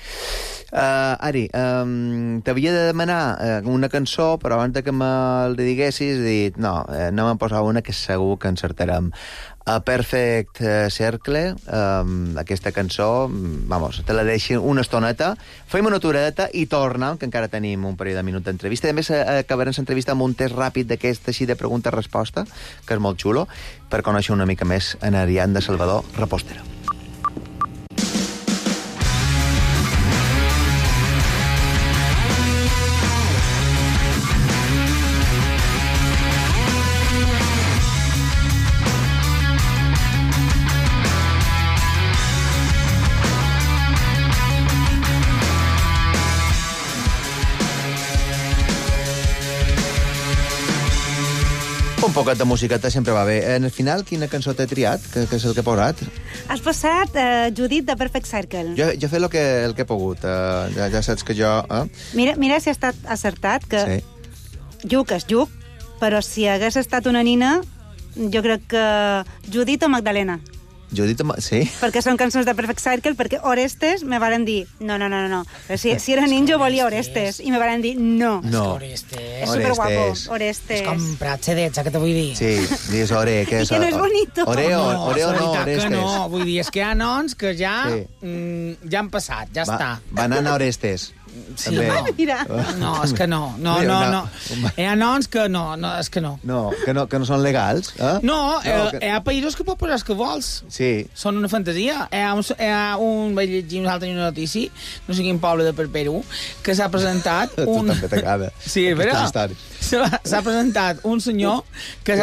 Ari, t'havia de demanar una cançó, però abans que me'l diguessis, he dit, no, anem a posar una que segur que encertarem. A Perfect Circle, aquesta cançó, vamos, te la deixi una estoneta, fem una aturada i tornem, que encara tenim un parell de minuts d'entrevista. També acabarem l'entrevista amb un test ràpid d'aquest així de pregunta-resposta, que és molt xulo, per conèixer una mica més en Ariadna Salvador, repostera. Un poquet de musiqueta sempre va bé. En el final, quina cançó t'he triat? Que és el que he posat? Has posat Judit de Perfect Circle. Jo he fet el que he pogut. Ja saps que jo... Mira si ha estat acertat, que sí. Lluc és Lluc, però si hagués estat una nina, jo crec que Judit o Magdalena. Judit, sí? Perquè són cançons de Perfect Circle, perquè Orestes me varen dir, no. Si era nin, jo volia Orestes, i me varen dir, no. Orestes. És superguapo, Orestes. És com Prat Cedets, que te vull dir. Sí, digues Ore, que és... I que no és bonito. Oreo no, Orestes. Que no, vull dir, és que hi ha noms que ja han passat, ja està. Banana Orestes. Sí, no. Mira. No, és que no. Hi ha noms que no, és que no. No, que no són legals, eh? No, hi ha països que pots posar els que vols. Sí. Són una fantasia. Hi ha un vaig llegir una altra notícia, no sé quin poble de per Perú, que s'ha presentat Tu també t'agrada. Sí, és veritat. S'ha presentat un senyor que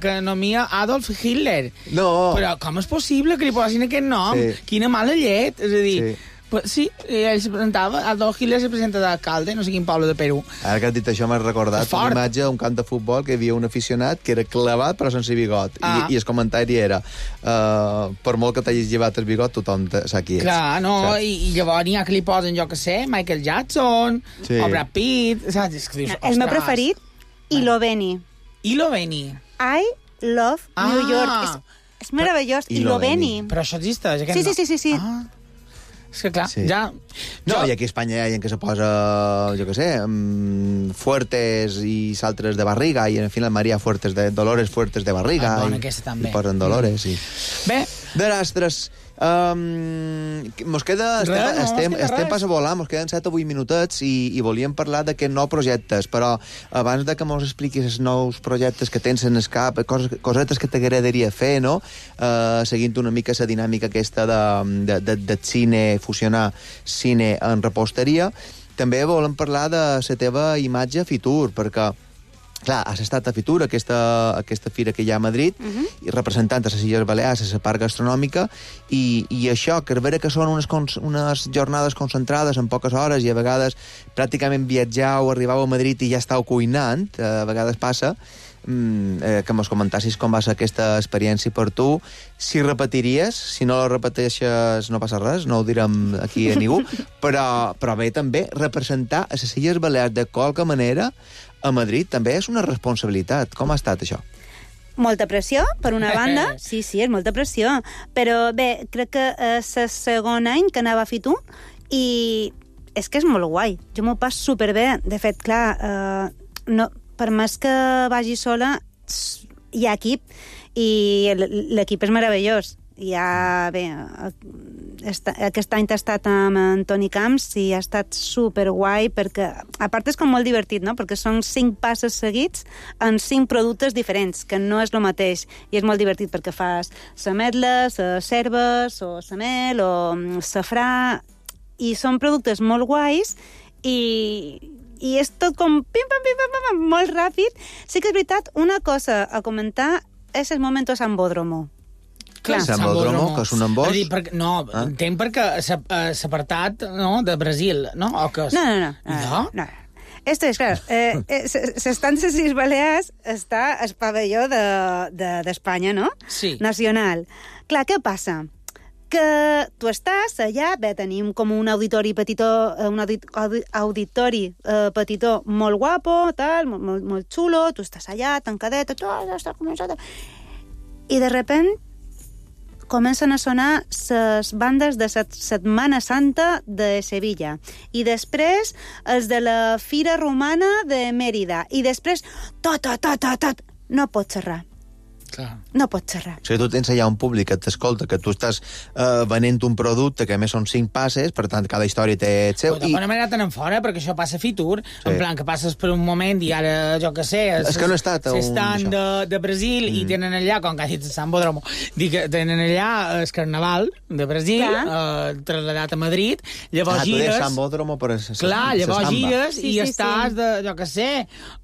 que nomia Adolf Hitler. No. Però com és possible que li posin aquest nom? Sí. Quina mala llet. És a dir, Sí. Sí, ell se presentava, Adolf Hitler se presenta d'alcalde, no sé quin poble de Perú. Ara que has dit això m'has recordat una imatge a un camp de futbol que hi havia un aficionat que era clavat però sense bigot. I el comentari era per molt que t'hagis llevat el bigot, tothom sap qui ets. Clar, no, saps? I llavors n'hi ha que li posen, jo que sé, Michael Jackson, o Brad Pitt, saps? És que dius, el meu preferit, Iloveni. Iloveni. I love New York. És meravellós, Iloveni. Però això existeix? Sí. És que clar, ja... No, i aquí a Espanya hi ha gent que se posa, jo què sé, Fuertes i s'altres de barriga, i en fi la Maria Fuertes de Dolores Fuertes de barriga. Bona, aquesta també. I posen Dolores, sí. Bé. Ostres, mos queda... Estem pas a volar, mos queden 7 o 8 minutets i volíem parlar d'aquests nous projectes, però abans de que mos expliquis els nous projectes que tens en el cap, cosetes que t'agradaria fer, no? Seguint una mica la dinàmica aquesta de cine, fusionar cine en reposteria, també volem parlar de la teva imatge a Fitur, perquè clar, has estat a Fitur, aquesta fira que hi ha a Madrid, i representant a les Illes Balears, a la part gastronòmica, i això, que és vera que són unes jornades concentrades en poques hores, i a vegades pràcticament viatjau, arribau a Madrid i ja estàu cuinant, a vegades passa, que mos comentassis com va ser aquesta experiència per tu, si repetiries, si no la repeteixes no passa res, no ho direm aquí a ningú, però bé també representar a les Illes Balears de qualque manera a Madrid també és una responsabilitat. Com ha estat això? Molta pressió, per una banda. Sí, és molta pressió. Però bé, crec que és el segon any que anava a Fitur i és que és molt guai. Jo m'ho passo superbé. De fet, clar, per més que vagi sola, hi ha equip i l'equip és meravellós. Aquest any t'ha estat amb en Toni Camps i ha estat superguai perquè, a part és com molt divertit, no? Perquè són 5 passes seguits en 5 productes diferents, que no és el mateix, i és molt divertit perquè fas sametles, cérvols, o samel, o safrà, i són productes molt guais i és tot com pim-pam, molt ràpid. Sí que és veritat, una cosa a comentar és el momento Sambódromo. Sambódromo, que és un embòs? No, entenc perquè s'ha apartat de Brasil, no? O que és... No. Esto es, claro, s'estan les Illes Balears, està el pavelló d'Espanya, no? Sí. Nacional. Clar, què passa? Que tu estàs allà, bé, tenim com un auditori petitó, auditori petitó molt guapo, tal, molt xulo, tu estàs allà, tancadet, tot està començat... I de repente comencen a sonar les bandes de la Setmana Santa de Sevilla i després els de la Fira Romana de Mèrida i després tot. No pots xerrar. Clar. No pots xerrar. O sigui, tu tens allà un públic que t'escolta, que tu estàs venent un producte que a més són 5 passes, per tant, cada història té el seu... Però d'alguna manera tenen fora, perquè això passa a Fitur, en plan que passes per un moment i ara, jo què sé... És que no he estat a un... S'estan de Brasil i tenen allà, com que ha dit Sant Bodromo, tenen allà el Carnaval de Brasil, traslladat a Madrid, llavors gires... tu deies Sant Bodromo, però... Clar, llavors gires Sí, i estàs, jo què sé,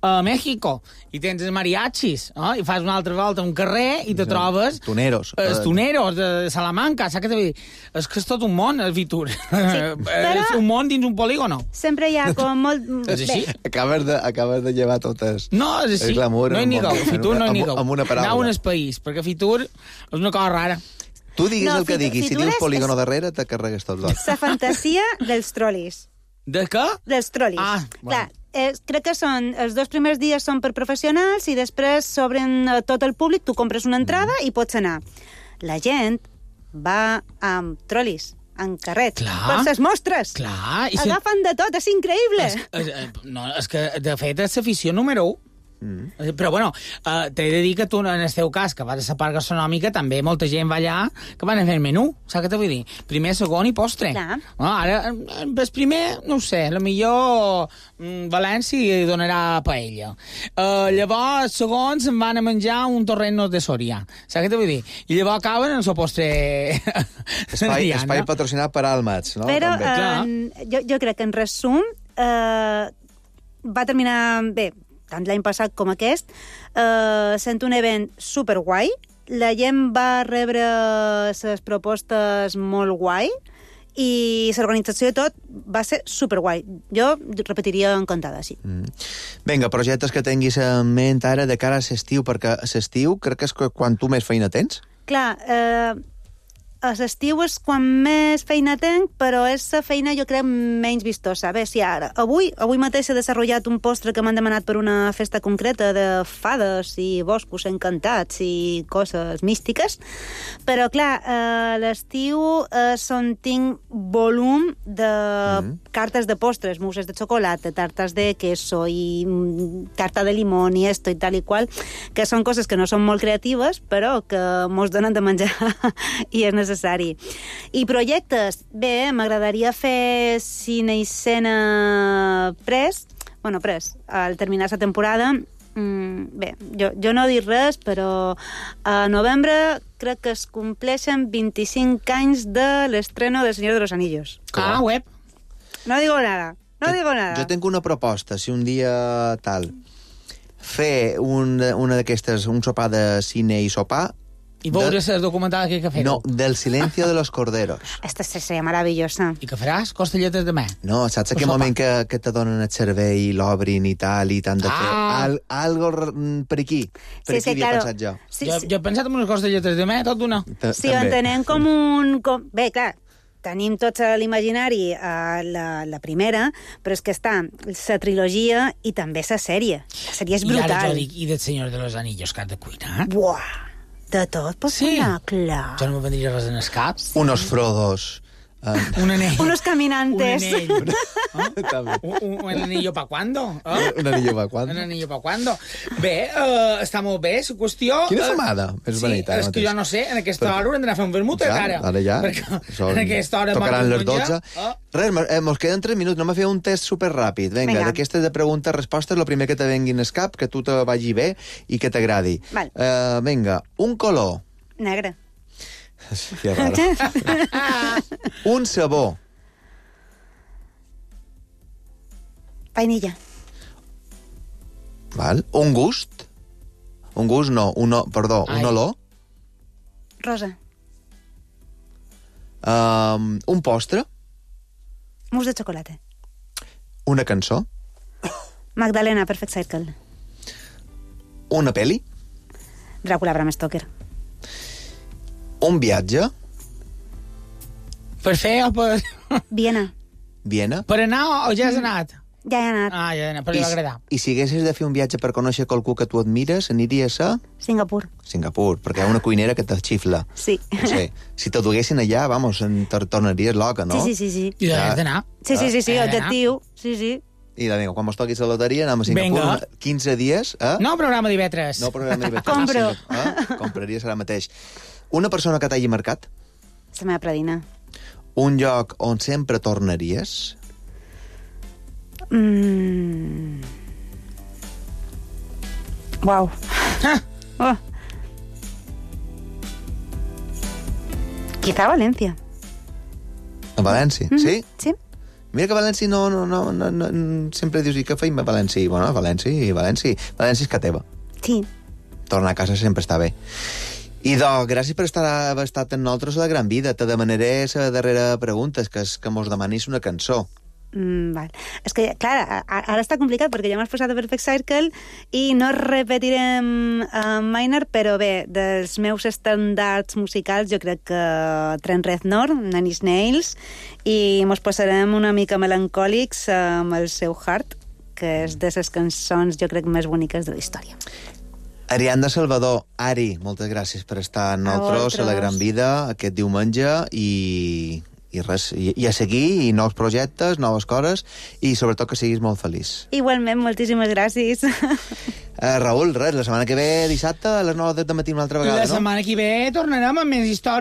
a México, i tens els mariachis, i fas una altra volta a un carrer i te trobes... Toneros. Els toneros de Salamanca, saps què t'ho dir? És que és tot un món, el Fitur. però... És un món dins un polígono. Sempre hi ha com molt... És així? Acabes de llevar totes... No, és així. No hi ningú. Fitur no hi ningú. Amb una paraula. Anau en el país, perquè Fitur és una cosa rara. Tu diguis No, el que diguis, si Fitur dius és- polígono darrere, te carregues tot l'ot. La fantasia dels trolis. De què? Dels trolis. Ah, Clar, crec que són... Els 2 primers dies són per professionals i després s'obren a tot el públic, tu compres una entrada i pots anar. La gent va amb trolis, en carrets, Clar. per les mostres. Clar. Agafen de tot, és increïble. No, és que, de fet, és l'afició número 1. Però, bueno, t'he de dir que tu, en el teu cas, que vas a la part gastronòmica, també molta gent va allà que van a fer el menú, saps què t'ho vull dir? Primer, segon i postre. Clar. Ara, el primer, no ho sé, millor València hi donarà paella. Llavors, segon, se'n van a menjar un torrent de Soria, saps què t'ho vull dir? I llavors acaben en el seu postre... Espai patrocinat per Almats, no? Però També. jo crec que, en resum, va terminar bé, tant l'any passat com aquest, sent un event superguai. La gent va rebre les propostes molt guai i l'organització de tot va ser superguai. Jo repetiria encantada, sí. Vinga, projectes que tinguis en ment ara de cara a l'estiu, perquè a l'estiu crec que és quan tu més feina tens. Clar, a l'estiu és quan més feina tenc, però és la feina, jo crec, menys vistosa. A veure si ara... Avui mateix he desenvolupat un postre que m'han demanat per una festa concreta de fades i boscos encantats i coses místiques, però, clar, a l'estiu és on tinc volum de cartes de postres, mousses de xocolata, tartes de queso i tarta de limón i esto i tal i qual, que són coses que no són molt creatives, però que mos donen de menjar i és necessari. I projectes, bé, m'agradaria fer cine i escena pres, al terminar la temporada. Bé, jo no dic res, però a novembre crec que es compleixen 25 anys de l'estreno del Señor de los Anillos. Web. No digo nada. Jo tinc una proposta, si un dia tal, fer una d'aquestes, un sopar de cine i sopar. I veure el documental que fer-ho. No, del silencio de los corderos. Esta seria maravillosa. I què faràs? Costelletes de mà? No, saps aquell moment que te donen el cervell i l'obrin i tal, i t'han de fer algo per aquí. Per aquí havia pensat jo. Jo he pensat en unes costelletes de mà, tot d'una. Sí, ho entenem com un... Bé, clar, tenim tots a l'imaginari la primera, però és que està la trilogia i també la sèrie. La sèrie és brutal. I ara jo dic, i del Senyor de los Anillos, que has de cuinar? Buah! De tot pots cuinar, clar. Jo no me vendria res en el cap. Unos Frodos. Un anell. Unos caminantes. Un anell. ¿Un anillo pa' cuándo? Un anillo pa' cuándo? Un anillo pa' cuándo? Bé, està molt bé, la qüestió... Quina femada? És bonita. Sí, és que jo no sé, en aquesta hora haurem d'anar a fer un vermut, encara. Ara ja. Perquè en aquesta hora... Tocaran les 12. Res, mos queden 3 minuts. Anem a fer un test superràpid. Vinga, d'aquestes de preguntes-respostes, el primer que te vengui en el cap, que tu te vagi bé i que t'agradi. Vinga, un color. Negre. Que raro. Un sabor. Vainilla. Val. Un gust. Un gust no, un olor. Rosa. Un postre. Mousse de xocolata. Una cançó. Magdalena, Perfect Circle. Una peli? Dràcula, Bram Stoker. Un viatge? Per fer o per... Viena. Viena? Per anar o ja has anat? Ja he anat. Ah, ja he anat, però li va agradar. I si haguessis de fer un viatge per conèixer qualcú que tu admires, aniries a Singapur. Singapur, perquè hi ha una cuinera que te xifla. Sí. No sé, si te duguessin allà, vamos, tornaries loca, no? Sí. I has d'anar. Sí, objectiu. Sí. I vinga, quan mos toquis la loteria anem a Singapur. Vinga. 15 dies, No programa d'IV3. No programa d'IV3. Compro. Compraries ara mateix. Una persona que t'hagi marcat? La meva predina. Un lloc on sempre tornaries? Uau. Oh. Quizá València. A València, sí? Sí. Mira que a València no, sempre dius, i què feim a València? Bueno, a València és que teva. Sí. Tornar a casa sempre està bé. I gràcies per haver estat amb nosaltres a la Gran Vida. Te demanaré la darrera pregunta, que és que mos demanis una cançó. Val. És que, clar, ara està complicat perquè ja m'has posat a Perfect Circle i no repetirem Minor, però bé, dels meus estàndards musicals jo crec que Trent Reznor, Nine Inch Nails, i mos posarem una mica melancòlics amb el seu Heart, que és de les cançons jo crec més boniques de la història. Ariadna Salvador, Ari, moltes gràcies per estar amb nosaltres a la Gran Vida aquest diumenge i res, i a seguir, i nous projectes, noves coses, i sobretot que siguis molt feliç. Igualment, moltíssimes gràcies. Raül, res, la setmana que ve, dissabte, a les 9 del matí una altra vegada, La setmana que ve tornarem amb més històries.